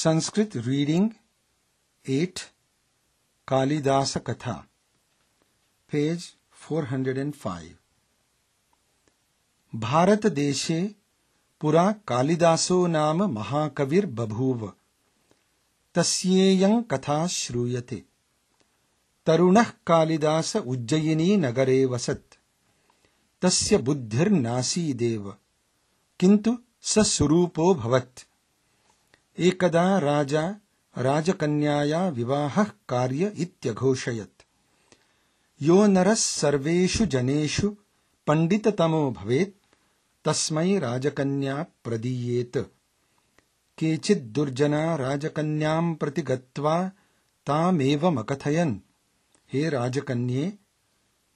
Sanskrit reading 8 Kalidasa कथा page 405 Bharata देशे पुरा कालिदासो नाम महाकविर् बभूव। तस्येयं कथा श्रूयते। तरुणः कालिदास उज्जयिनी नगरे वसत्। तस्य बुद्धिर्नासीदेव, किन्तु स सुरूपो भवत्। एकदा राजा राजकन्याया विवाहः कार्य इत्यघोषयत्। यो नरः सर्वेषु जनेषु पण्डिततमो भवेत् तस्मै राजकन्या प्रदीयेत। केचित् दुर्जना राजकन्यां प्रति गत्वा तामेवमकथयन्, हे राजकन्ये,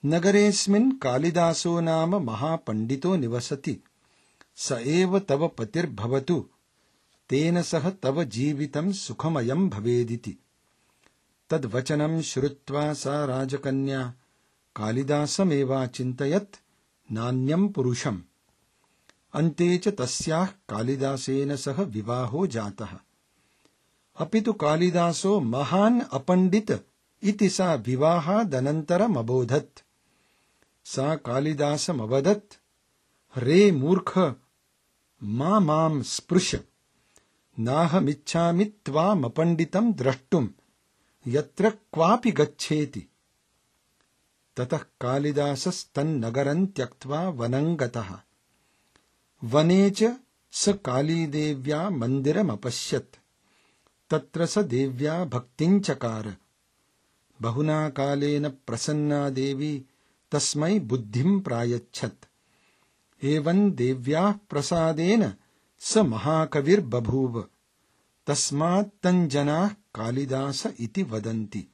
नगरेऽस्मिन् कालिदासो नाम महापण्डितो निवसति। स एव तव पतिर्भवतु, तेन सह तव जीवितं सुखमयं भवेदिति। तद्वचनं श्रुत्वा सा राजकन्या कालिदासमेवाचिन्तयत्, नान्यं पुरुषम्। अन्ते च तस्याः कालिदासेन सह विवाहो जातः। अपि तु कालिदासो महान् अपण्डित इति सा विवाहादनन्तरमबोधत्। सा कालिदासमवदत्, रे मूर्ख, मां स्पृश। नाहमिच्छामि त्वामपण्डितं द्रष्टुं, यत्र क्वापि गच्छेति। ततः कालिदासस्तन्नगरं त्यक्त्वा वनं गतः। वने च स कालीदेव्या मन्दिरमपश्यत्। तत्र स देव्या भक्तिं चकार। बहुना कालेन प्रसन्ना देवी तस्मै बुद्धिं प्रायच्छत्। एवं देव्याः प्रसादेन स महाकविर्बभूव। तस्मात् तं जनाः कालिदास इति वदन्ति।